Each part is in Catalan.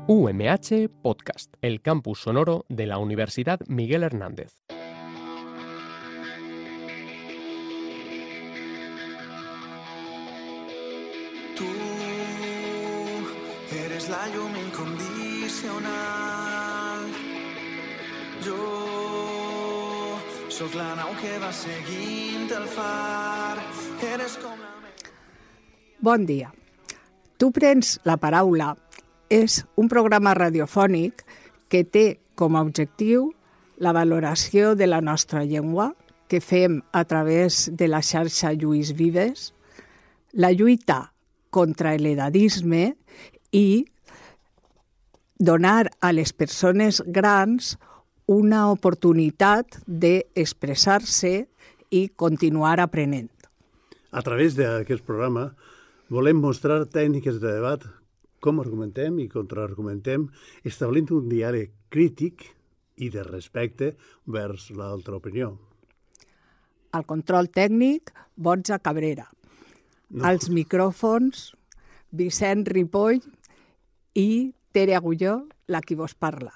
UMH Podcast, el campus sonoro de la Universidad Miguel Hernández. Tú eres la llum incondicional. Jo sóc la nau que va seguint el far. Eres com la... Bon dia. Tu prens la paraula és un programa radiofònic que té com a objectiu la valoració de la nostra llengua que fem a través de la xarxa Lluís Vives, la lluita contra l'edadisme i donar a les persones grans una oportunitat d'expressar-se i continuar aprenent. A través d'aquest programa volem mostrar tècniques de debat, com argumentem i contraargumentem, establint un diàleg crític i de respecte vers l'altra opinió. Al control tècnic, Borja Cabrera. No. Als micròfons, Vicent Ripoll i Tere Agulló, la qui vos parla.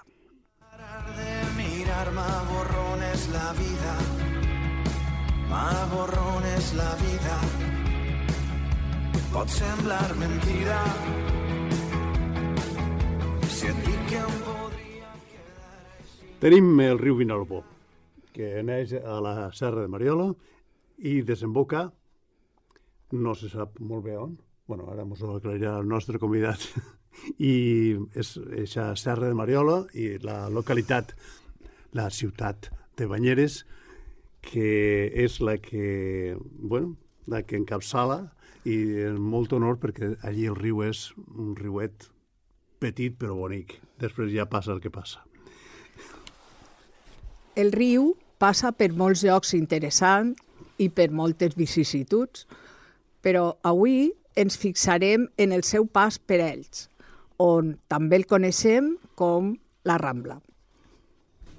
Parar de mirar-me borrones la vida, m'aborrones la vida. Pot semblar mentida si et dic que em podria quedar així. Tenim el riu Vinalbó, que neix a la Serra de Mariola i desemboca, no se sap molt bé on, bueno, ara ens ho aclarirà el nostre convidat, i és a Serra de Mariola i la localitat, la ciutat de Banyeres, que és la que encapçala, i és molt honor perquè allí el riu és un riuet petit però bonic. Després ja passa el que passa. El riu passa per molts llocs interessants i per moltes vicissituds, però avui ens fixarem en el seu pas per ells, on també el coneixem com la Rambla.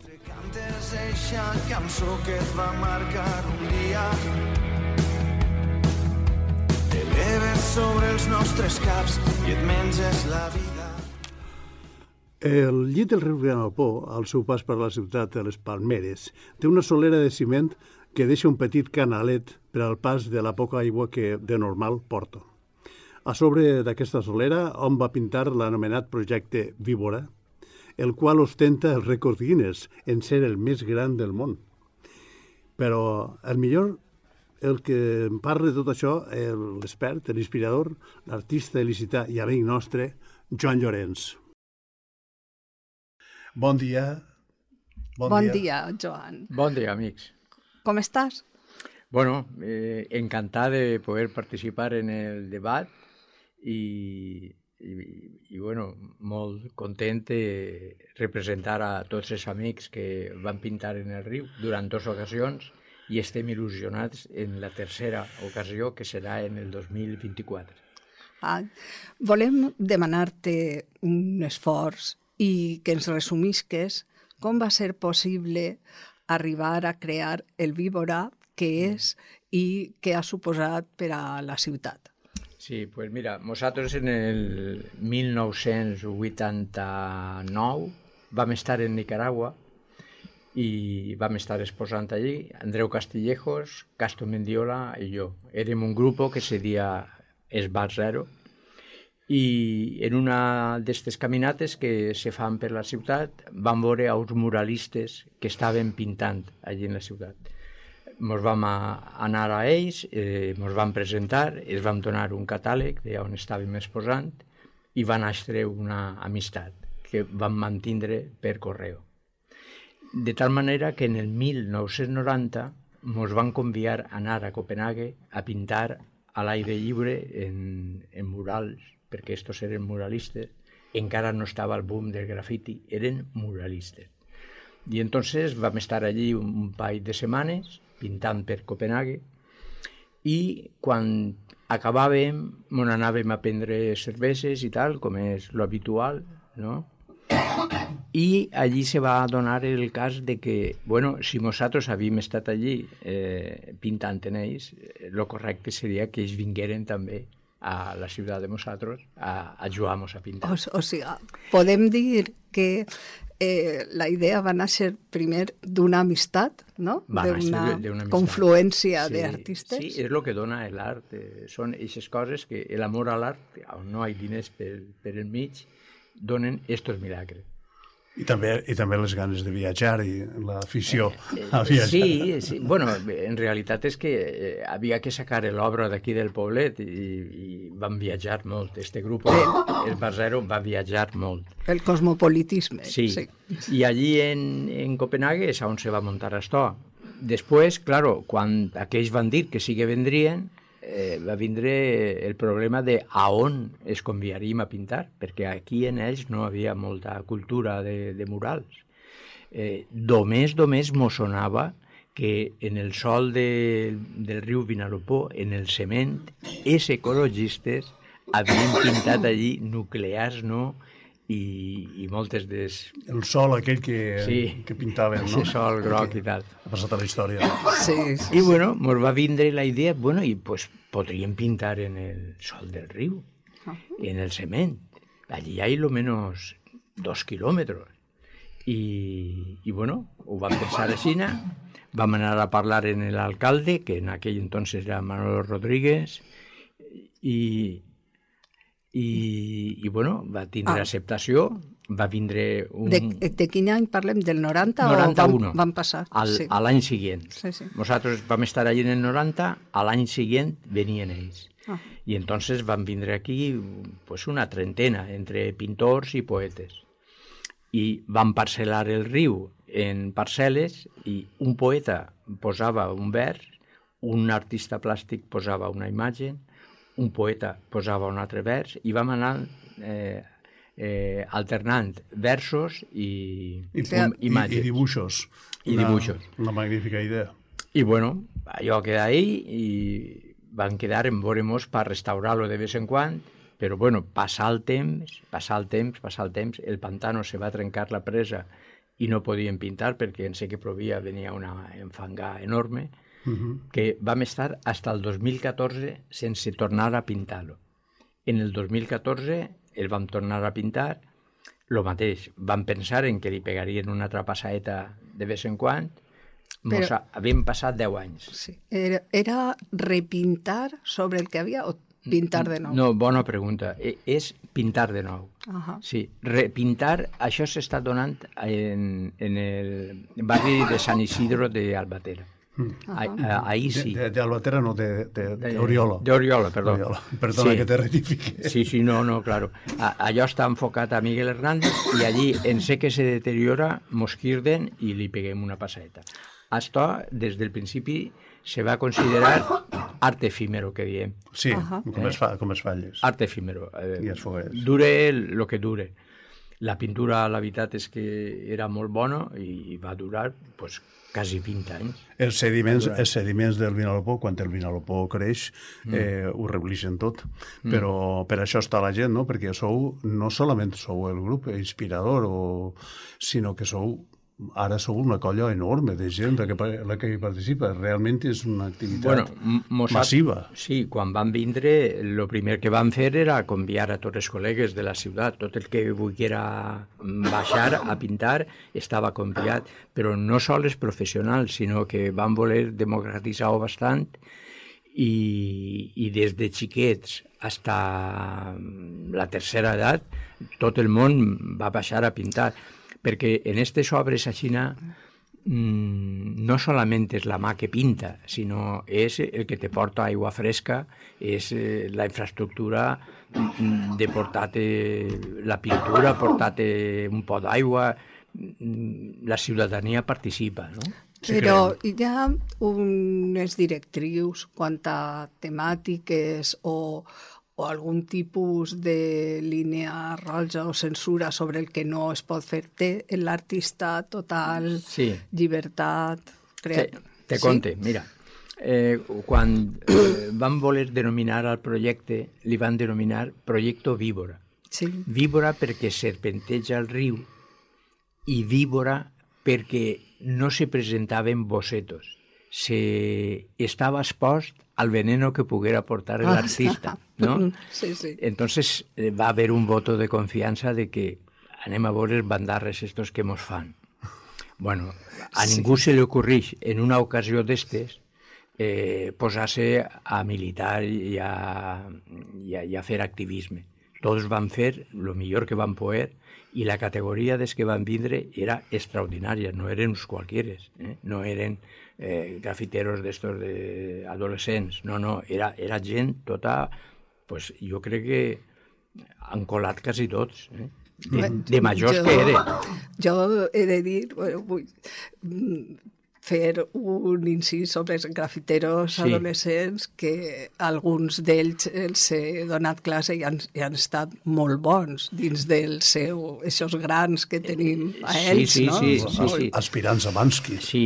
Entre cantes eixa cançó que et va marcar un dia, t'eleves sobre els nostres caps i et menges la vida. El llit del riu Vinalbó, al seu pas per la ciutat de les Palmeres, té una solera de ciment que deixa un petit canalet per al pas de la poca aigua que de normal porta. A sobre d'aquesta solera hom va pintar l'anomenat projecte Víbora, el qual ostenta el rècord Guinness en ser el més gran del món. Però el millor, el que en parla de tot això, l'expert, l'inspirador, l'artista il·licità i amic nostre, Joan Llorenç. Bon dia. Bon dia, Joan. Bon dia, amics. Com estàs? Bueno, encantat de poder participar en el debat i bueno, molt content de representar a tots els amics que van pintar en el riu durant 2 ocasions i estem il·lusionats en la tercera ocasió, que serà en el 2024. Volem demanar-te un esforç i que ens resumisques com va ser possible arribar a crear el Víbora que és i què ha suposat per a la ciutat. Sí, pues mira, nosaltres en el 1989 vam estar en Nicaragua i vam estar exposant allí, Andreu Castillejos, Casto Mendiola i jo. Érem un grup que se deia Esbar Zero i en una d'aquestes caminates que se fan per la ciutat vam veure uns muralistes que estaven pintant allí en la ciutat. Ens vam anar a ells, ens vam presentar, els vam donar un catàleg d'on estàvem exposant i va néixer una amistat que vam mantindre per correu. De tal manera que en el 1990 ens van convidar a anar a Copenhague a pintar a l'aire lliure en murals, perquè estos eren muralistes, encara no estava el boom del grafiti, eren muralistes. I entonces vam estar allí un parell de setmanes pintant per Copenhague i quan acabàvem ens anàvem a prendre cerveses i tal, com és l'habitual, no? I allí se va donar el cas de que, bueno, si nosaltres havíem estat allí pintant en ells, el correcte seria que ells vingueren també a la ciutat de nosaltres a ajudar-nos a pintar. O sigui, podem dir que la idea va néixer primer d'una amistat, no? D'una confluència d'artistes. Sí, és el que dona l'art. Són aquestes coses que l'amor a l'art, on no hi ha diners per enmig, donen estos milagres. I també les ganes de viatjar i l'afició a viatjar. Sí. Bueno, en realitat és que havia que sacar l'obra d'aquí del poblet i van viatjar molt. Este grup, el Barzero, va viatjar molt. El cosmopolitisme. Sí. I allí en Copenhague és on se va muntar esto. Després, claro, quan aquells van dir que sí que vendrien, va vindre el problema de a on es conviaríem a pintar, perquè aquí en ells no havia molta cultura de murals. Només mos sonava que en el sol del riu Vinalopó, en el cement, els ecologistes havien pintat allí nuclears, no?, i moltes des... El sol aquell que pintaven, no? El sol groc i tal. Ha passat a la història. Sí. I bueno, ens va vindre la idea, bueno, i pues podríem pintar en el sol del riu, en el cement. Allí hi ha almenys 2 kilòmetres. I bueno, ho vam pensar així, vam anar a parlar en l'alcalde, que en aquell entonces era Manolo Rodríguez, i bueno, va tindre acceptació, va vindre un... De quin any parlem? Del 90 91. O van passar? A l'any següent. Sí. Nosaltres vam estar allí en el 90, a l'any següent venien ells. I entonces van vindre aquí pues, una trentena, entre pintors i poetes. I van parcel·lar el riu en parcel·les i un poeta posava un vers, un artista plàstic posava una imatge, un poeta posava un altre vers i vam anar alternant versos i imatges. I dibuixos. Una magnífica idea. I bueno, allò queda ahí i van quedar en veure-mos per restaurar-lo de vez en quan, però bueno, passar el temps, el pantano se va trencar la presa i no podien pintar perquè en sé que plovia, venia una enfangada enorme, que vam estar fins al 2014 sense tornar a pintar-lo. En el 2014 el vam tornar a pintar, el mateix, vam pensar en que li pegarien una altra passaeta de vez en quan, havíem passat 10 anys. Sí. Era repintar sobre el que havia o pintar de nou? No, bona pregunta. És pintar de nou. Sí, repintar, això s'està donant en el barri de Sant Isidro d'Albatera. Ahí sí. De Albatera, no, de Oriola. De Oriola, perdó. Perdona que te rectifique. Sí, no, claro. Allò està enfocat a Miguel Hernández i allí en sé que se deteriora, mos quirden i li peguem una passaeta. Això, des del principi, se va considerar art efímero, que diem. Sí, com es falles. Art efímero. I els foguers. Dure lo que dure. La pintura, la veritat és que era molt bona i va durar pues, quasi 20 anys. Els sediments del Vinalopó, quan el Vinalopó creix, ho reblixen tot. Però per això està la gent, no? Perquè no solament sou el grup inspirador, sinó que ara sou una colla enorme de gent la que hi participa. Realment és una activitat massiva. Sí, quan van vindre, el primer que van fer era conviar a tots els col·legues de la ciutat. Tot el que volguera baixar a pintar estava conviat, però no sols professionals, sinó que van voler democratitzar-ho bastant i des de xiquets fins a la tercera edat tot el món va baixar a pintar. Perquè en aquestes obres així no solament és la mà que pinta, sinó és el que te porta aigua fresca, és la infraestructura de portar-te la pintura, portar-te un pot d'aigua, la ciutadania participa, no? Però hi ha unes directrius quant a temàtiques o algun tipus de línia roja o censura sobre el que no es pot fer. Té l'artista total llibertat creativa. Te conte, mira. Quan van voler denominar el projecte, li van denominar Proyecto Víbora. Víbora perquè serpenteja el riu i víbora perquè no se presentaven bocetos, estaba expost al veneno que pudiera aportar el artista, ¿no? Sí, sí. Entonces va a haver un voto de confiança de que anem a veure els bandarres estos que mos fan. Bueno, a ningú se li ocorreix en una ocasió d'estes posar-se a militar i a fer activisme. Tots van fer el millor que van poder i la categoria des que van vindre era extraordinària, no eren uns qualquieres, no eren grafiteros d'estos adolescents, no, era gent tota, pues, jo crec que han colat quasi tots, de majors que eren. Jo he de dir, vull fer un incís sobre els grafiteros adolescents, que alguns d'ells els he donat classe i han estat molt bons dins dels seus grans que tenim a ells, no? Sí. Aspirants a Bansky. Sí.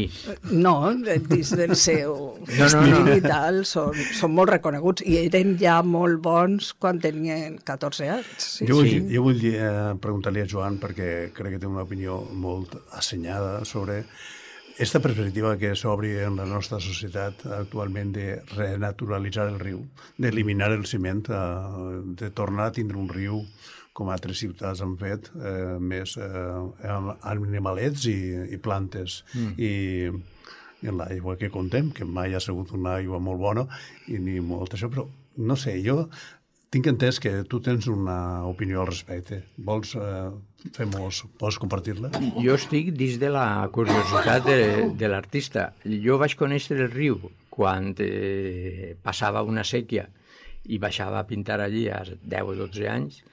No, dins del seu estil i tal, són molt reconeguts i eren ja molt bons quan tenien 14 anys. Jo vull preguntar-li a Joan, perquè crec que té una opinió molt assenyada sobre esta perspectiva que s'obri en la nostra societat actualment de renaturalitzar el riu, d'eliminar el ciment, de tornar a tindre un riu com altres ciutats han fet, més amb animalets i plantes. I en l'aigua que contem, que mai ha sigut una aigua molt bona i ni molt això, però no sé, jo tinc entès que tu tens una opinió al respecte. Vols compartir-la? Jo estic dins de la curiositat de l'artista. Jo vaig conèixer el riu quan passava una sèquia i baixava a pintar allí a 10 o 12 anys,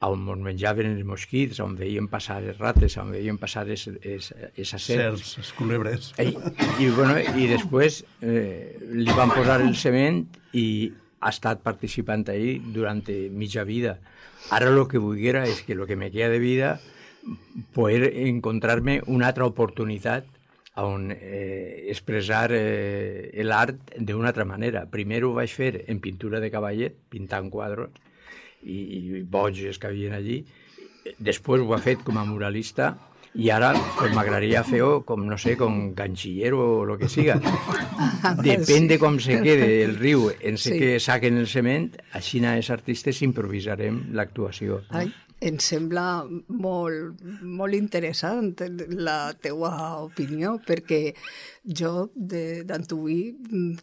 on ens menjaven els mosquits, on veiem passar les rates, on veiem passar les serps, les culebres. I després li van posar el cement i ha estat participant ahí durant mitja vida. Ara el que volguera és que el que me queda de vida poder encontrar-me una altra oportunitat on expressar l'art d'una altra manera. Primer ho vaig fer en pintura de cavallet, pintant quadros i boges que havien allí. Després ho he fet com a muralista i ara pues, m'agradaria fer-ho com, no sé, com ganxillero o el que siga. Depèn de com se quede el riu en que saquen el cement, així els artistes improvisarem l'actuació. Ai, em sembla molt interessant la teua opinió, perquè jo d'antuí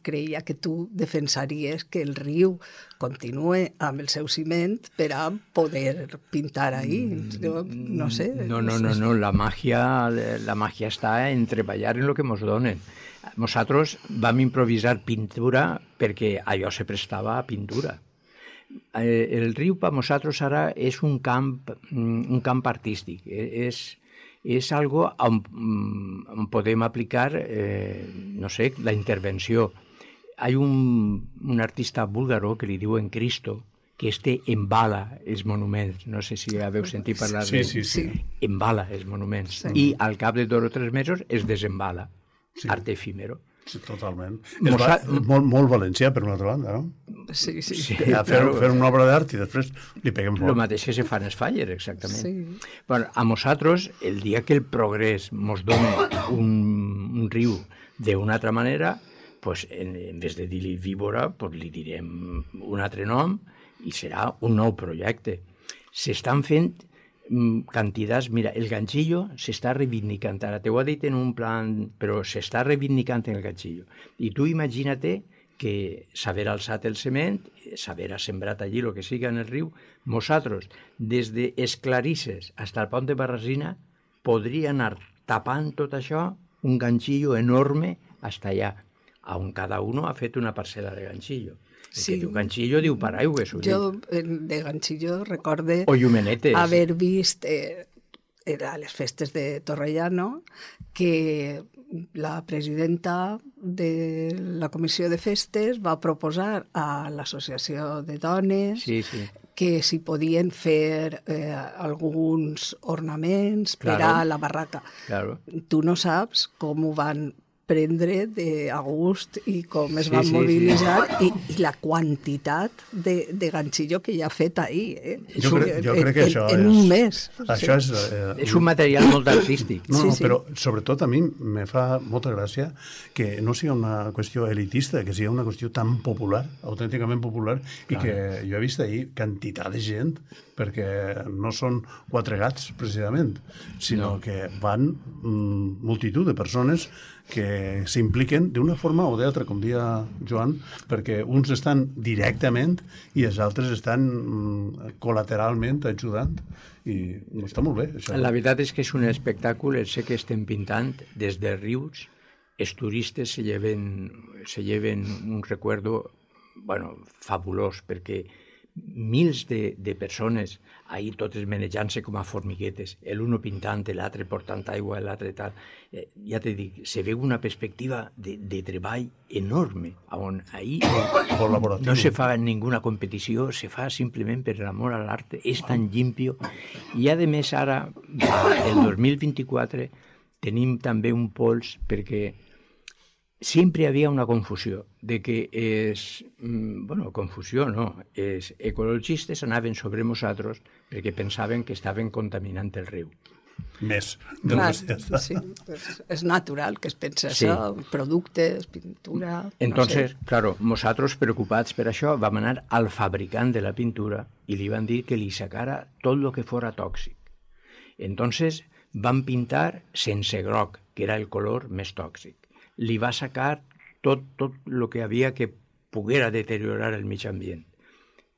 creia que tu defensaries que el riu continue amb el seu ciment per a poder pintar ahí. No sé. No, la màgia està en treballar en el que ens donen. Nosaltres vam improvisar pintura perquè allò se prestava a pintura. El riu per nosaltres ara és un camp artístic, és algo on podem aplicar, no sé, la intervenció. Hi ha un artista búlgaro que li diuen Cristo, que embala els monuments. No sé si haveu sentit parlar d'ell. Sí. Embala els monuments. I al cap de 2 o 3 mesos es desembala. Arte efímero. Sí, totalment. Molt valencià, per una altra banda, no? Sí. Fer una obra d'art i després li peguem fort. El mateix que se fa en els Faller, exactament. Sí. Bueno, a nosaltres, el dia que el progrés ens dona un riu d'una altra manera, pues, en vez de dir-li víbora, pues, li direm un altre nom i serà un nou projecte. S'estan fent quantitats. Mira, el ganchillo s'està reivindicant. Ara t'ho he dit en un plan, però s'està reivindicant en el ganchillo. I tu imagina't que s'haver alçat el cement, s'haver sembrat allí el que siga en el riu, nosaltres, des d'Esclarisses fins al pont de Barrasina, podria anar tapant tot això un ganchillo enorme fins allà, on cada uno ha fet una parcel·la de ganchillo. Sí. Que diu ganchillo diu paraigües. Jo de ganchillo recorde haver vist a les festes de Torrellano que la presidenta de la comissió de festes va proposar a l'associació de dones que s'hi podien fer alguns ornaments per a la barraca. Claro. Tu no saps com ho van prendre a gust i com es van mobilitzar i la quantitat de ganxillo que hi ha fet ahir. Jo crec que això en un mes. Això és un material molt artístic. No, però sobretot a mi me fa molta gràcia que no sigui una qüestió elitista, que sigui una qüestió tan popular, autènticament popular, i que jo he vist ahir quantitat de gent, perquè no són 4 gats, precisament, sinó que van multitud de persones que s'impliquen d'una forma o d'altra, com deia Joan, perquè uns estan directament i els altres estan col·lateralment ajudant, i està molt bé. Això. La veritat és que és un espectacle, sé que estem pintant des de Rius, els turistes se lleven un recuerdo fabulós, perquè mils de persones ahir totes menejant-se com a formiguetes, l'uno pintant, l'altre portant aigua, l'altre tal. Ja te dic, se veu una perspectiva de treball enorme, on ahir no se fa ninguna competició, se fa simplement per l'amor a l'art, és tan llimpio. I a més ara, el 2024, tenim també un pols perquè sempre hi havia una confusió, de que confusió no, els ecologistes anaven sobre nosaltres perquè pensaven que estaven contaminant el riu. Més. Clar, sí, és natural que es pensa això, productes, pintura... Entonces, claro, nosaltres preocupats per això vam anar al fabricant de la pintura i li van dir que li sacara tot el que fora tòxic. Entonces van pintar sense groc, que era el color més tòxic. Li va sacar tot el que havia que poguera deteriorar el mig ambient.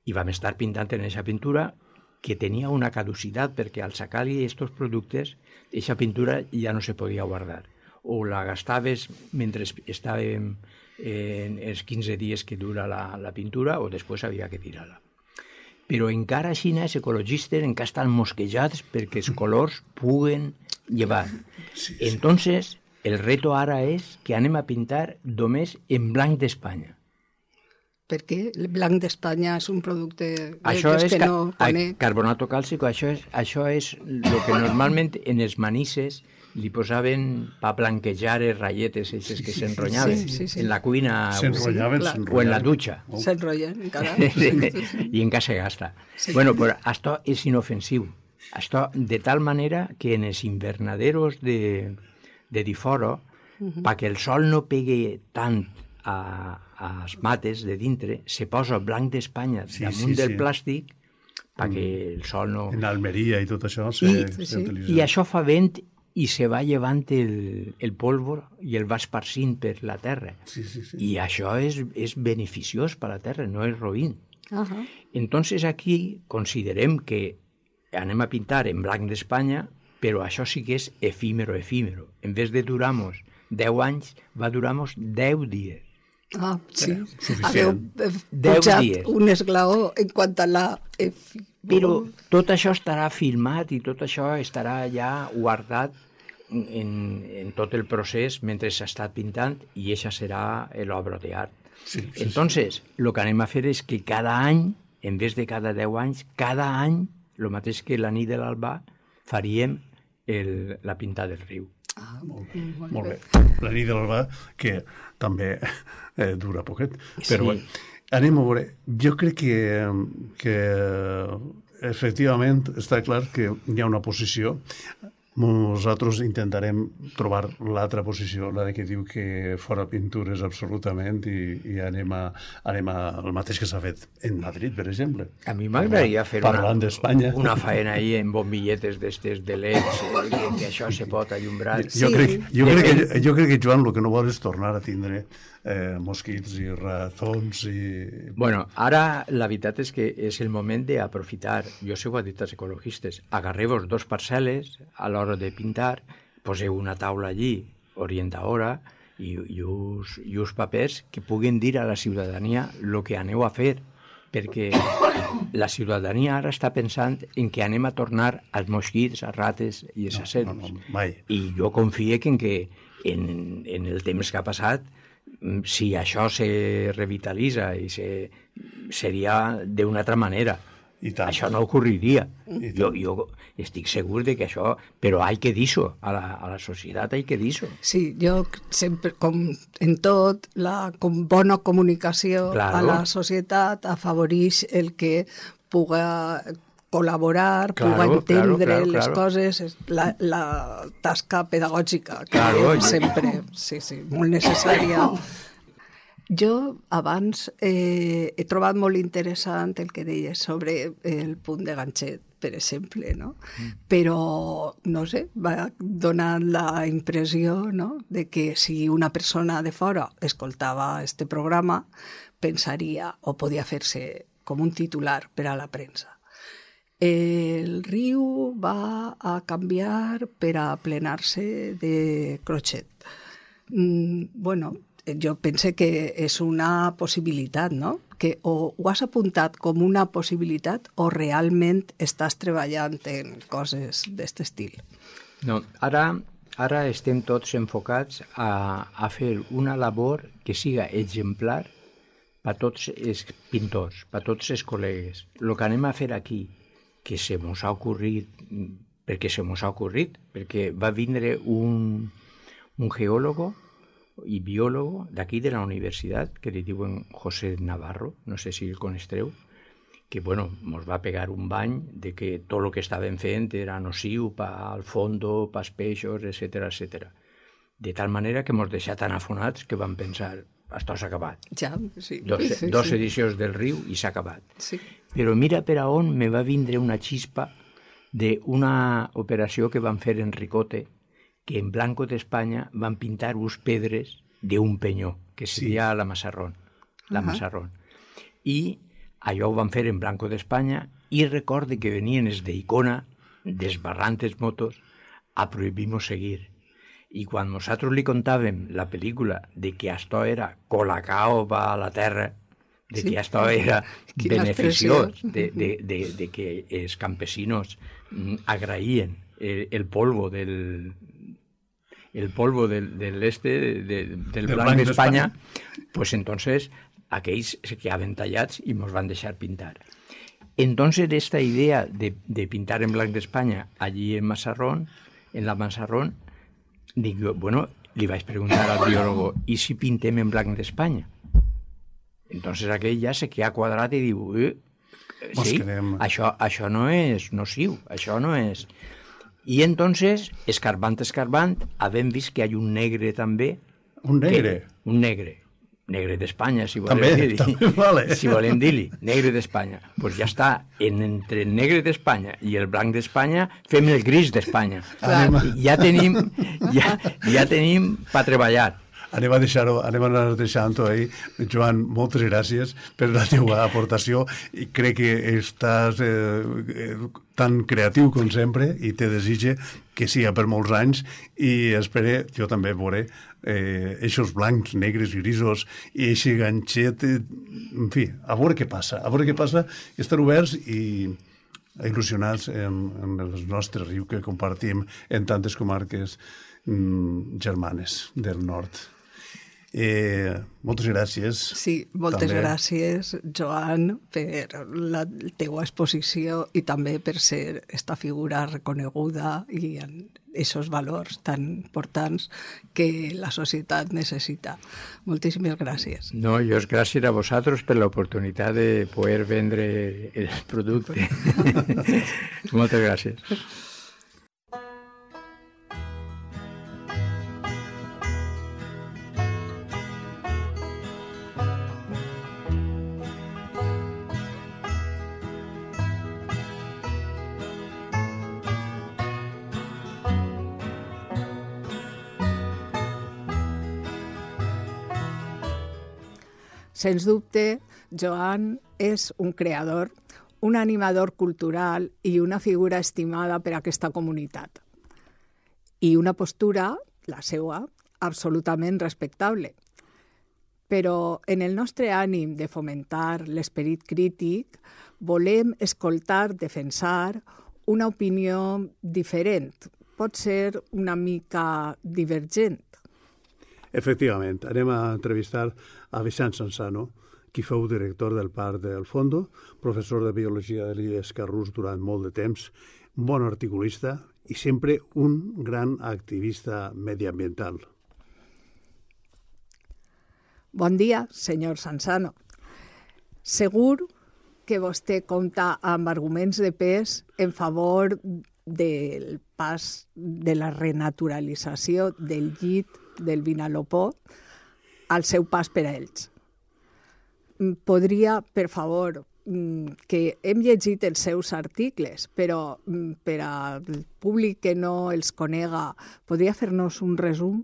I vam estar pintant en aquesta pintura que tenia una caducitat, perquè al sacar-li aquests productes, aquesta pintura ja no se podia guardar. O la gastaves mentre estàvem en els 15 dies que dura la pintura, o després havia que tirar-la. Però encara així els ecologistes encara estan mosquejats perquè els colors puguen llevar. Entonces, el reto ara és que anem a pintar només en blanc d'Espanya. Perquè el blanc d'Espanya és un producte que no conec. Carbonato càlcico, això és el que normalment en els manisses li posaven per blanquejar les ratlletes que s'enrotllaven en la cuina o en la dutxa. S'enrotllen encara. I encara se gasta. Bueno, però això és inofensiu. Això de tal manera que en els invernaderos de diforo, perquè el sol no pegui tant als mates de dintre, se posa blanc d'Espanya damunt del plàstic perquè el sol no... En Almeria i tot això s'utilitza. I això fa vent i se va llevant el polvo i el va esparcint per la terra. I això és beneficiós per a la terra, no és roïn. Entonces aquí considerem que anem a pintar en blanc d'Espanya, però això sí que és efímero. En vez de durar-nos 10 anys, va durar-nos 10 dies. Ah, sí. Haveu pujat un esglaó en quant a la... Però tot això estarà filmat i tot això estarà ja guardat en tot el procés mentre s'ha estat pintant, i això serà l'obra d'art. Entonces, el que anem a fer és que cada any, en vez de cada 10 anys, cada any, el mateix que la nit de l'alba, faríem la pinta del riu. Molt bé. La nit de l'alba, que també dura poquet. Però anem a veure. Jo crec que efectivament està clar que hi ha una posició. Nosaltres intentarem trobar l'altra posició, la que diu que fora pintures absolutament, i anem al mateix que s'ha fet en Madrid, per exemple. A mi m'agradaria fer una faena ahí en bombilletes d'estes de leds, que això se pot allumbrar. Jo crec que Joan el que no vol és tornar a tindre mosquits i ratons i... Bueno, ara la veritat és que és el moment d'aprofitar. Jo sé ho ha dit als ecologistes. Agarreu-vos 2 parcel·les a l'hora de pintar, poseu una taula allí orientadora i uns papers que puguen dir a la ciutadania el que aneu a fer, perquè la ciutadania ara està pensant en que anem a tornar als mosquits, a rates i a serps. I jo confio que en el temps que ha passat, si això se revitalitza i seria d'una altra manera. I tant. Això no ocorriria. Jo estic segur de que això... Però hay que dir-ho, a la societat hay que dir-ho. Sí, jo sempre, com en tot, com bona comunicació a la societat afavoreix el que puga col·laborar, puga entendre les coses, la tasca pedagògica, que sempre, sí, molt necessària. Jo abans he trobat molt interessant el que deies sobre el punt de ganxet, per exemple, no? Però, no sé, va donar la impressió, no?, de que si una persona de fora escoltava este programa, pensaria, o podia fer-se com un titular per a la premsa. El riu va a canviar per a plenar-se de crotxet. Bueno, jo pense que és una possibilitat, no? Que o ho has apuntat com una possibilitat o realment estàs treballant en coses d'aquest estil. No, ara estem tots enfocats a fer una labor que siga exemplar per tots els pintors, per tots els col·legues. El que anem a fer aquí, que se mos ha ocorrit, perquè va vindre un geòlogo i biòlogo d'aquí de la universitat, que li diuen José Navarro, no sé si el coneixeu, que bueno, mos va pegar un bany de que tot el que estàvem fent era nociu pel fondo, pels peixos, etc. De tal manera que mos deixà tan afonats que vam pensar, això s'ha acabat. Ja, sí. Dos edicions del riu i s'ha acabat. Sí. Però mira per a on me va vindre una xispa d'una operació que van fer en Ricote, que en Blanco d'Espanya van pintar uns pedres d'un penyó, que seria la Massarrón. I allò ho van fer en Blanco d'Espanya i recorde que venien els d'Icona, desbarrant els motos, a prohibir-nos seguir. I quan nosaltres li contàvem la pel·lícula de que això era Colacao va a la terra, de que això era beneficiós, de que els campesinos agraïen el polvo del blanc d'Espanya, pues entonces aquells se quedaven tallats i ens van deixar pintar. Entonces esta idea de pintar en blanc d'Espanya allí en Massarrón, en la Massarrón, dic jo, bueno, li vaig preguntar al biòlogo, i si pintem en blanc d'Espanya? Entonces aquell ja se queda quadrat i diu, sí, això no és nociu, això no és... I entonces, escarbant, havem vist que hi ha un negre també. Un negre? Un negre. Negre d'Espanya, si volem dir-li. També vale. Si volem dir-li, negre d'Espanya. Doncs pues ja està, entre el negre d'Espanya i el blanc d'Espanya, fem el gris d'Espanya. Ja tenim per treballar. Anem a anar deixant-ho ahí. Joan, moltes gràcies per la teva aportació i crec que estàs tan creatiu com sempre i te desitge que siga per molts anys i espero, jo també veuré eixos blancs, negres, grisos i eixe ganxet, en fi, a veure què passa, estar oberts i il·lusionats amb el nostre riu que compartim en tantes comarques germanes del nord. Moltes gràcies. Sí, moltes gràcies, Joan, per la teua exposició i també per ser esta figura reconeguda i en aquests valors tan importants que la societat necessita. Moltíssimes gràcies. No, jo gràcies a vosaltres per l'oportunitat de poder vendre el producte. Moltes gràcies. Sens dubte, Joan és un creador, un animador cultural i una figura estimada per a aquesta comunitat. I una postura, la seva, absolutament respectable. Però en el nostre ànim de fomentar l'esperit crític, volem escoltar, defensar una opinió diferent, pot ser una mica divergent. Efectivament, anem a entrevistar a Vicent Sansano, qui fou director del Parc del Fondo, professor de Biologia de l'Illes Carrús durant molt de temps, un bon articulista i sempre un gran activista mediambiental. Bon dia, senyor Sansano. Segur que vostè compta amb arguments de pes en favor del pas de la renaturalització del llit del Vinalopó al seu pas per a ells. Podria, per favor, que hem llegit els seus articles, però per al públic que no els conega, podria fer-nos un resum?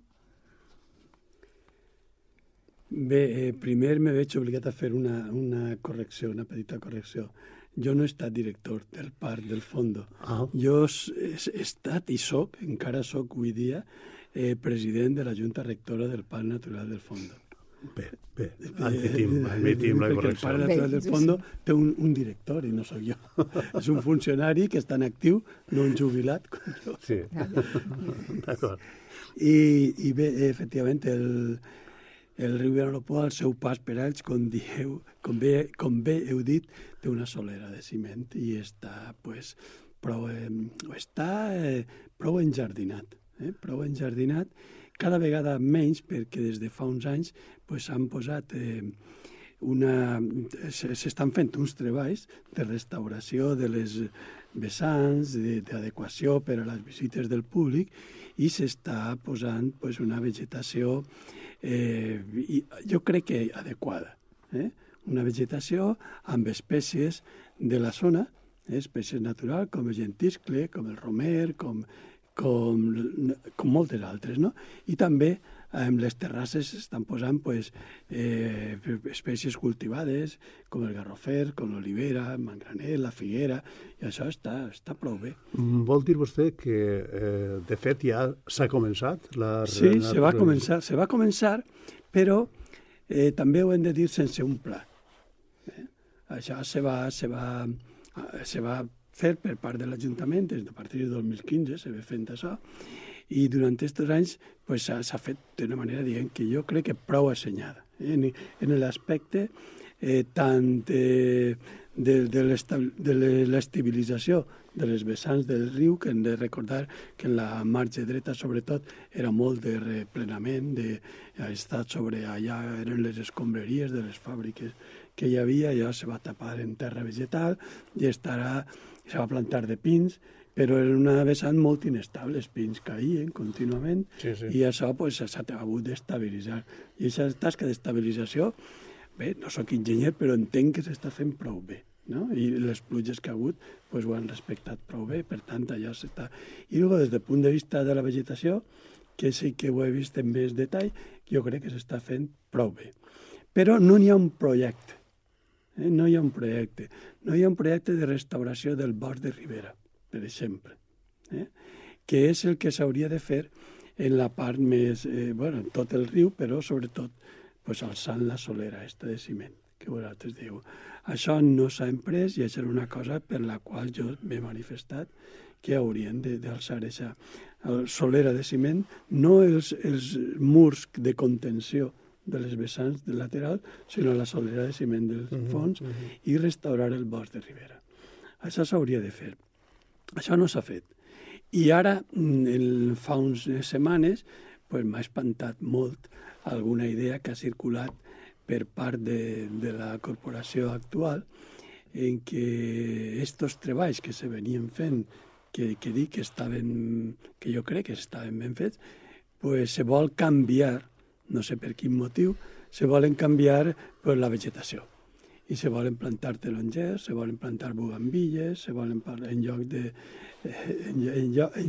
Bé, primer me veig obligat a fer una correcció, una petita correcció. Jo no he estat director del Parc del Fondo. Jo he estat i soc, encara soc avui dia, president de la Junta Rectora del Parc Natural del Fondo. Bé, admitim la correcció. Perquè el Parc Natural del Fondo té un director i no sóc jo. És un funcionari que està en actiu, no un jubilat com jo. Sí, d'acord. I bé, efectivament, el riu Vinalopó, al seu pas per ells, com bé heu dit, té una solera de ciment i està prou enjardinat. Cada vegada menys, perquè des de fa uns anys s'han posat s'estan fent uns treballs de restauració de les vessants, d'adequació per a les visites del públic i s'està posant una vegetació jo crec que adequada. Una vegetació amb espècies de la zona, espècies naturals com el gentiscle, com el romer, com moltes altres, no? I també en les terrasses s'estan posant espècies cultivades com el garrofer, com l'olivera, el mangraner, la figuera, i això està prou bé. Vol dir vostè que, de fet, ja s'ha començat? Sí, se va començar, però també ho hem de dir sense un pla. Això se va fer per part de l'Ajuntament, des de a partir de 2015 se va fent això, i durant aquests anys s'ha fet d'una manera, diguem, que jo crec que prou assenyada. En l'aspecte tant de l'estabilització de les vessants del riu, que hem de recordar que en la marge dreta, sobretot, era molt de replenament, ha estat sobre allà, eren les escombraries de les fàbriques que hi havia, allò se va tapar en terra vegetal i se va plantar de pins, però era una vessant molt inestable, els pins caïen contínuament i això s'ha hagut d'estabilitzar. I aquesta tasca d'estabilització, bé, no sóc enginyer, però entenc que s'està fent prou bé, no? I les pluges que ha hagut ho han respectat prou bé, per tant, allò s'està... I des del punt de vista de la vegetació, que sí que ho he vist en més detall, jo crec que s'està fent prou bé. Però no hi ha un projecte. No hi ha un projecte de restauració del bosc de ribera, per exemple, que és el que s'hauria de fer en la part més, en tot el riu, però sobretot alçant la solera de ciment, que vosaltres diu. Això no s'ha emprès i això és una cosa per la qual jo m'he manifestat que haurien d'alçar aquesta solera de ciment, no els murs de contenció de les vessants laterals, sinó la solera de ciment dels fons i restaurar el bosc de ribera. Això s'hauria de fer. Això no s'ha fet. I ara, fa unes setmanes, m'ha espantat molt alguna idea que ha circulat per part de la corporació actual en què aquests treballs que se venien fent, que dic que jo crec que estaven ben fets, se vol canviar, no sé per quin motiu, se volen canviar la vegetació. I se volen plantar telongers, se volen plantar bugambilles, se volen en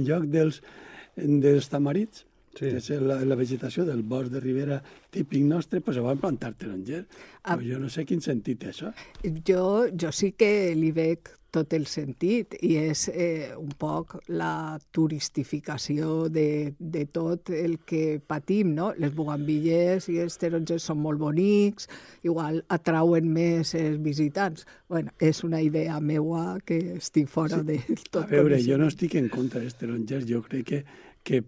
lloc dels tamarits, que és la vegetació del bosc de ribera típic nostre, se volen plantar telongers. Jo no sé quin sentit té això. Jo sí que li veig tot el sentit, i és un poc la turistificació de tot el que patim, no? Les bugambilles i els tarongers són molt bonics, igual atrauen més els visitants. Bueno, és una idea meua que estic fora de tot. A veure, jo no estic en contra dels tarongers, jo crec que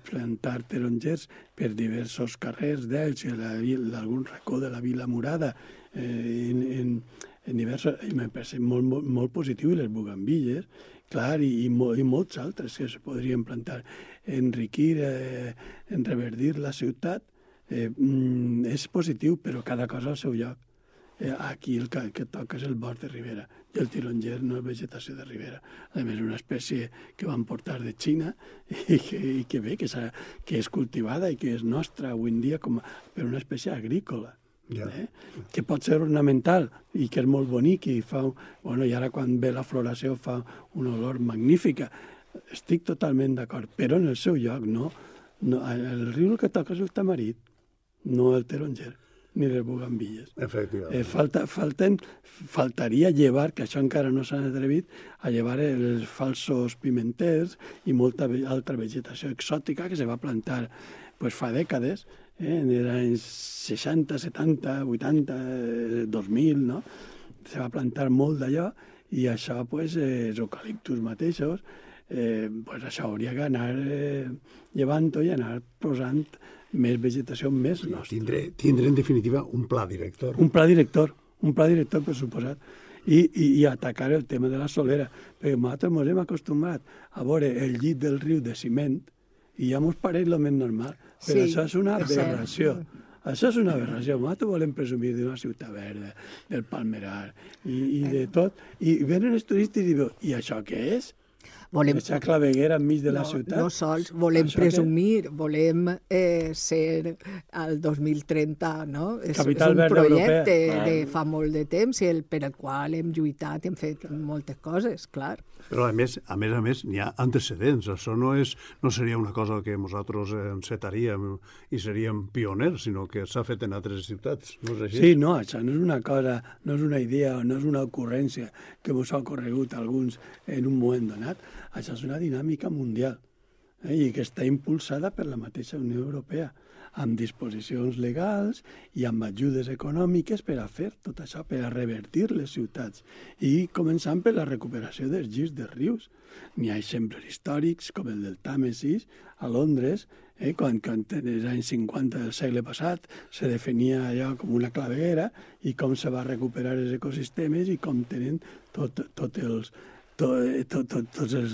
plantar tarongers per diversos carrers d'Elx i d'algun racó de la Vila Murada en diversos, me parece molt positiu, i les bugambilles, clar, i molts altres que se podrien plantar. Enriquir, enreverdir la ciutat és positiu, però cada cosa al seu lloc. Aquí el que toca és el bosc de ribera, i el taronger no és vegetació de ribera. A més, és una espècie que van portar de Xina i que bé, que és cultivada i que és nostra avui en dia per una espècie agrícola. Que pot ser ornamental i que és molt bonic i fa... Bueno, i ara quan ve la floració fa una olor magnífica. Estic totalment d'acord, però en el seu lloc, no. El riu el que toca és el tamarit, no el taronger ni les bugambilles. Efectivament. Faltaria llevar, que això encara no s'han atrevit, a llevar els falsos pimenters i molta altra vegetació exòtica que se va plantar fa dècades, en els anys 60, 70, 80, 2000, no? Se va plantar molt d'allò i això, els eucaliptus mateixos, això hauria d'anar llevant-ho i anar posant més vegetació més nostra. Tindre en definitiva un pla director. Un pla director per suposat. I atacar el tema de la solera, perquè nosaltres ens hem acostumat a veure el llit del riu de ciment i ja ens pareix el més normal, però això és una aberració. Això és una aberració. Nosaltres volem presumir d'una ciutat verda, del palmerar i de tot. I venen els turistes i diuen, i això què és? Aquesta claveguera enmig de la ciutat. No sols, volem presumir, volem ser al 2030, no? Capital és un projecte de fa molt de temps i per el qual hem lluitat, hem fet moltes coses, clar. Però a més, n'hi ha antecedents. Això no seria una cosa que nosaltres encetaríem i seríem pioners, sinó que s'ha fet en altres ciutats. No és així? Sí, no, això no és una cosa, no és una idea, no és una ocurrència que ens ha ocorregut a alguns en un moment donat. Això és una dinàmica mundial i que està impulsada per la mateixa Unió Europea, amb disposicions legals i amb ajudes econòmiques per a fer tot això, per a revertir les ciutats. I començant per la recuperació dels llits dels rius. N'hi ha exemples històrics, com el del Tàmesis, a Londres, quan en els anys 50 del segle passat se definia allò com una claveguera i com se va recuperar els ecosistemes i com tenen tots els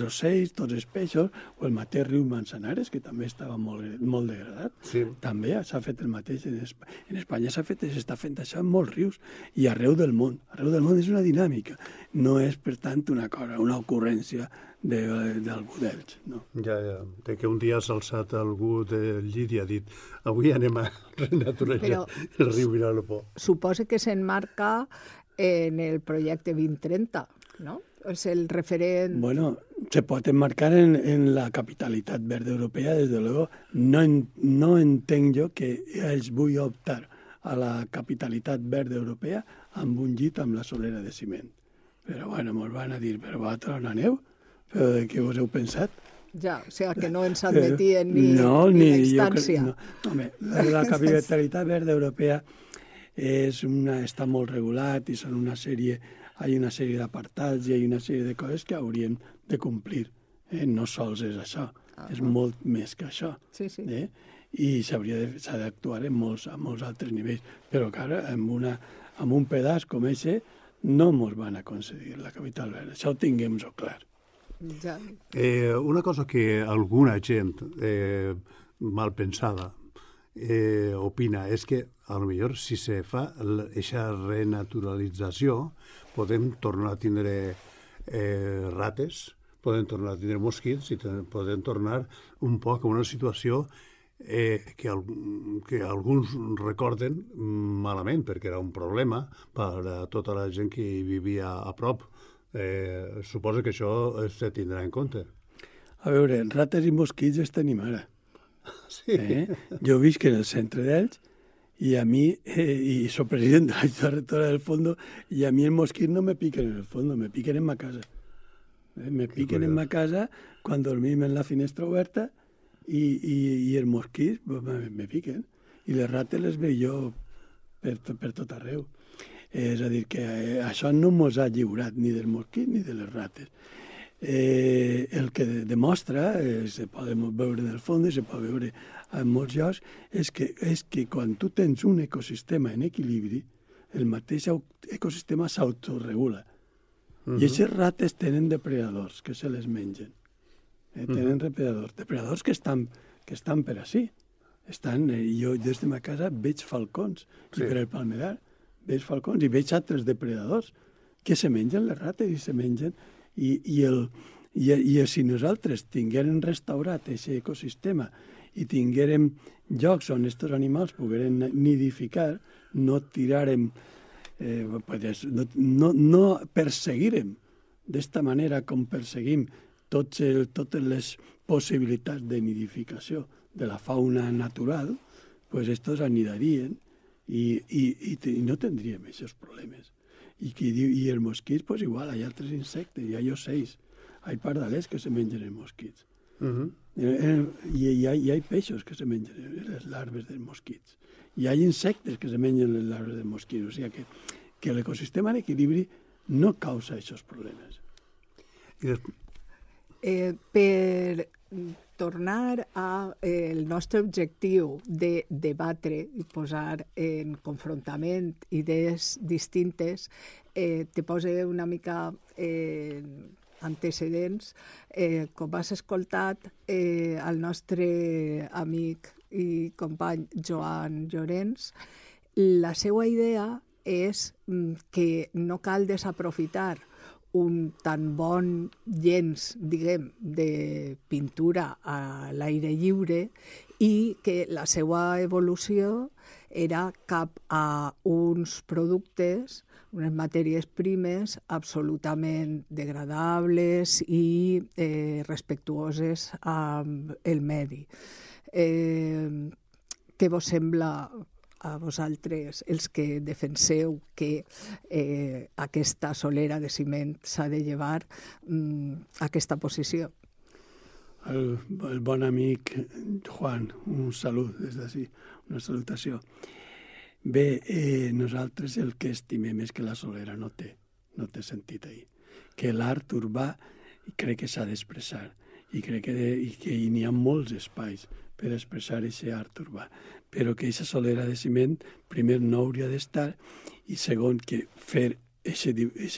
ocells, tots els peixos, o el mateix riu Manzanares, que també estava molt degradat. Sí. També s'ha fet el mateix. En Espanya s'està fent això en molts rius i arreu del món. Arreu del món és una dinàmica. No és, per tant, una ocurrència d'algú d'ells. No? Ja. De que un dia s'ha alçat algú del llit i ha dit avui anem a renaturalitzar el riu Vinalopó. Suposa que s'enmarca en el projecte 2030, no? És el referent... Bueno, se pot enmarcar en la capitalitat verda europea, desde luego. No entenc jo que ells vull optar a la capitalitat verda europea amb un llit amb la solera de ciment. Però, bueno, ens van a dir, però vosaltres on aneu? Però de què us heu pensat? Ja, o sigui que no ens admetien ni l'extància. Home, la capitalitat verda europea està molt regulat i són una sèrie d'apartats i hi ha una sèrie de coses que haurien de complir. No sols és això, és molt més que això. Sí. I s'ha d'actuar a molts altres nivells. Però, clar, amb un pedaç com aquest no ens van aconseguir la capital verda. Això ho tinguem-ho clar. Ja. Una cosa que alguna gent mal pensada opina és que potser si se fa aquesta renaturalització podem tornar a tindre rates, podem tornar a tindre mosquits i podem tornar un poc a una situació que alguns recorden malament, perquè era un problema per a tota la gent que vivia a prop. Suposo que això se tindrà en compte. A veure, rates i mosquits els tenim ara. Sí. Jo visc en el centre d'ells y a mí, y soy presidente de la Junta Rectora del fondo, y a mí el mosquit no me piquen en el fondo, me piquen en ma casa. Me piquen en ma casa quan dormim en la finestra oberta i els mosquits me piquen. I les rates les veig jo per tot arreu. És a dir, que això no mos ha lliurat ni del mosquit ni de les rates. El que demostra, se pot veure en el fons i se pot veure en molts llocs, és que quan tu tens un ecosistema en equilibri, el mateix ecosistema s'autoregula. I aquestes rates tenen depredadors que se les mengen. Tenen depredadors que estan per ací. Jo des de ma casa veig falcons, i per el palmerar veig falcons i veig altres depredadors que se mengen les rates i se mengen. I si nosaltres tinguérem restaurat aquest ecosistema i tinguérem llocs on aquests animals pogueren nidificar, no tirarem, no perseguirem d'esta manera com perseguim totes les possibilitats de nidificació de la fauna natural, pues estos anidarien i no tindríem aquests problemes. I els mosquits, pues igual, hi ha altres insectes, hi ha ocells, hi ha pardalers que se mengen els mosquits. I hi ha peixos que se mengen les larves dels mosquits. Hi ha insectes que se mengen les larves dels mosquits. O sigui que l'ecosistema en equilibri no causa aquests problemes. Per tornar al nostre objectiu de debatre i posar en confrontament idees distintes, te poso una mica antecedents. Com has escoltat, el nostre amic i company Joan Llorens, la seva idea és que no cal desaprofitar un tan bon llenç, diguem, de pintura a l'aire lliure i que la seva evolució era cap a uns productes, unes matèries primes absolutament degradables i respectuoses amb el medi. Què vos sembla a vosaltres, els que defenseu que aquesta solera de ciment s'ha de llevar, aquesta posició? El bon amic Juan, un salut des d'ací, una salutació. Bé, nosaltres el que estimem és que la solera no té sentit ahir. Que l'art urbà crec que s'ha d'expressar i crec que n'hi ha molts espais per expressar aquest art urbà, però que aquesta solera de ciment, primer, no hauria d'estar, i segon, que fer aquest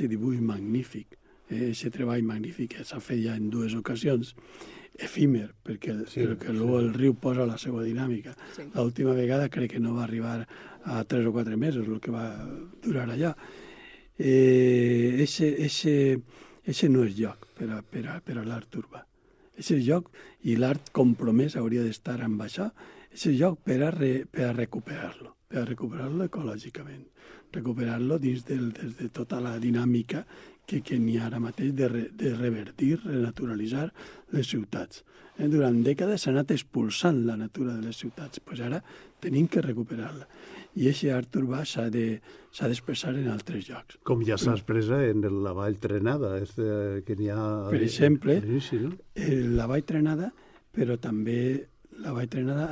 dibuix magnífic, aquest treball magnífic que s'ha fet ja en 2 ocasions, efímer, perquè el riu posa la seva dinàmica. L'última vegada crec que no va arribar a 3 o 4 mesos, el que va durar allà. Eixe no és lloc per a l'art urbà. Eixe lloc, i l'art compromès hauria d'estar amb això, eixe lloc per a recuperar-lo ecològicament, recuperar-lo dins de tota la dinàmica que n'hi ha ara mateix de revertir, renaturalitzar les ciutats. Durant dècades s'ha anat expulsant la natura de les ciutats, doncs ara tenim que recuperar-la. I aquest art urbà s'ha d'expressar en altres llocs. Com ja s'ha expressat en la Vall Trenada, que n'hi ha... Per exemple, la Vall Trenada, però també la Vall Trenada,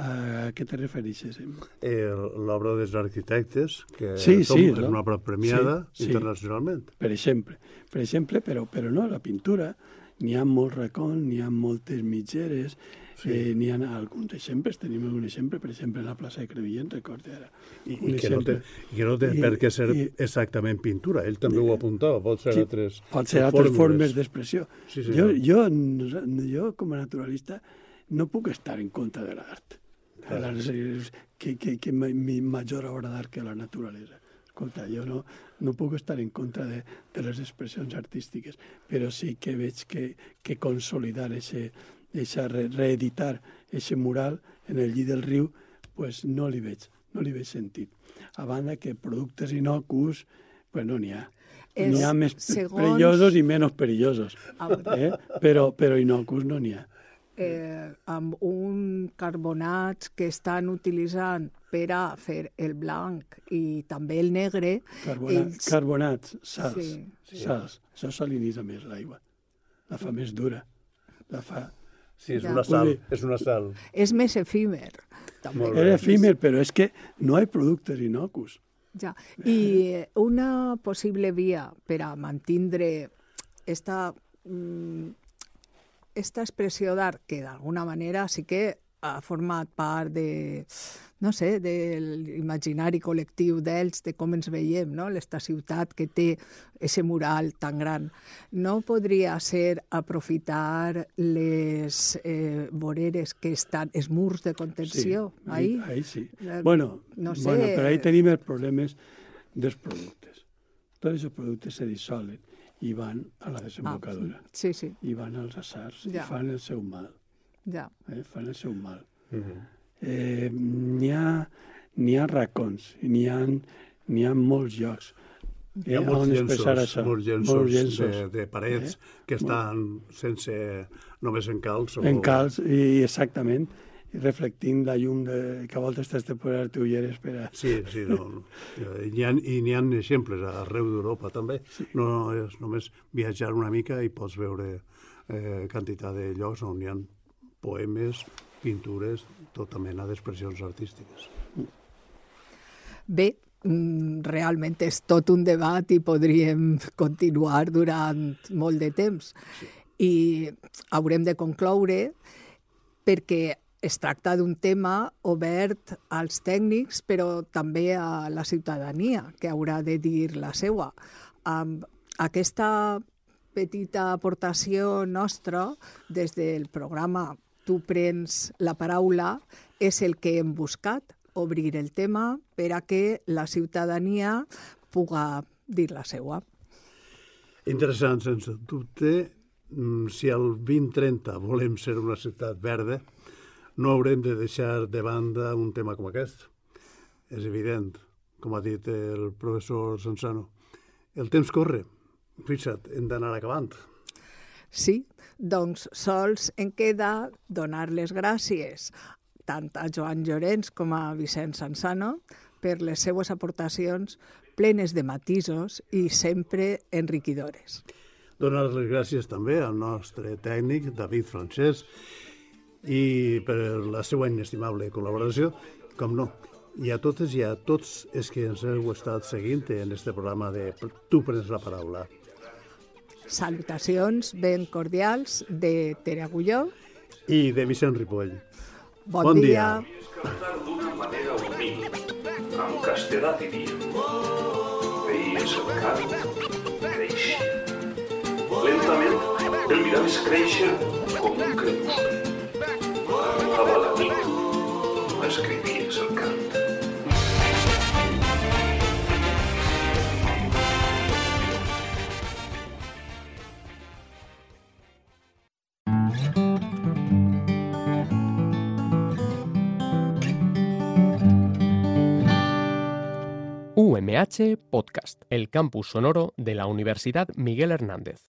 a què te refereixes? L'obra dels arquitectes, que és una obra premiada internacionalment. Per exemple, però no, la pintura, n'hi ha molts racons, n'hi ha moltes mitgeres, n'hi ha alguns exemples, tenim un exemple, per exemple, a la plaça de Crevillent, recorda ara. I que no té per què ser exactament pintura, ell també ho apuntava, pot ser altres fórmules. Pot ser altres formes d'expressió. Jo, com a naturalista, no puc estar en contra de l'art. Que major obra d'art que la naturalesa. Escolta, jo no puc estar en contra de les expressions artístiques, però sí que veig que consolidar reeditar aquest mural en el llit del riu, pues no li veig sentit. A banda que productes inocus, pues no n'hi ha. N'hi ha més perillosos i menys perillosos, però inocus no n'hi ha. Amb un carbonats que estan utilitzant per a fer el blanc i també el negre. Carbonats, sals, Sí. sals. Això salinitza més l'aigua. La fa més dura. La fa... Sí, és Ja. una sal, és una sal. És més efímer. També. Molt bé. Era efímer, però és que no hi ha productes inocus. Ja. I una possible via per a mantindre esta expressió d'art que d'alguna manera sí que ha format part de, no sé, de l'imaginari col·lectiu d'ells, de com ens veiem, no? L'esta ciutat que té ese mural tan gran. No podria ser aprofitar les voreres que estan, els murs de contenció, ahí? Ahí sí. No sé. Bueno, però ahí tenim els problemes dels productes. Tots els productes se dissolen i van a la desembocadura. Sí, sí, I van als assars Ja. i fan el seu mal. ja. Fan el seu mal. Mhm. N'hi ha racons, n'hi ha molts llocs. Hi ha molts on expressar llenços, això. molts llenços de parets que estan sense, només en calç. En calç, i exactament, i reflectint la llum que a voltes t'has de posar ulleres per a... Sí, no. I n'hi ha exemples arreu d'Europa també. No és només viatjar una mica i pots veure quantitat de llocs on hi ha poemes, pintures, tota mena d'expressions artístiques. Bé, realment és tot un debat i podríem continuar durant molt de temps. I haurem de concloure perquè es tracta d'un tema obert als tècnics, però també a la ciutadania, que haurà de dir la seva. Amb aquesta petita aportació nostra des del programa Tu prens la paraula és el que hem buscat, obrir el tema per a que la ciutadania puga dir la seva. Interessant, sense dubte. Si al 2030 volem ser una ciutat verda, no haurem de deixar de banda un tema com aquest. És evident, com ha dit el professor Sansano. El temps corre. Fixa't, hem d'anar acabant. Sí, doncs sols en queda donar les gràcies tant a Joan Llorens com a Vicent Sansano per les seues aportacions plenes de matisos i sempre enriquidores. Donar les gràcies també al nostre tècnic, David Francesc, i per la seva inestimable col·laboració, com no, i a totes i a tots els que ens heu estat seguint en este programa de Tu prens la paraula. Salutacions ben cordials de Tere Agulló. I de Vicent Ripoll. Bon dia. Cantar d'una manera humil, amb castellà diria. Veies el camp créixer. Lentament el miraves créixer com un crepuscle. Arribava la nit, escrivies el cant. UMH Podcast, el campus sonoro de la Universidad Miguel Hernández.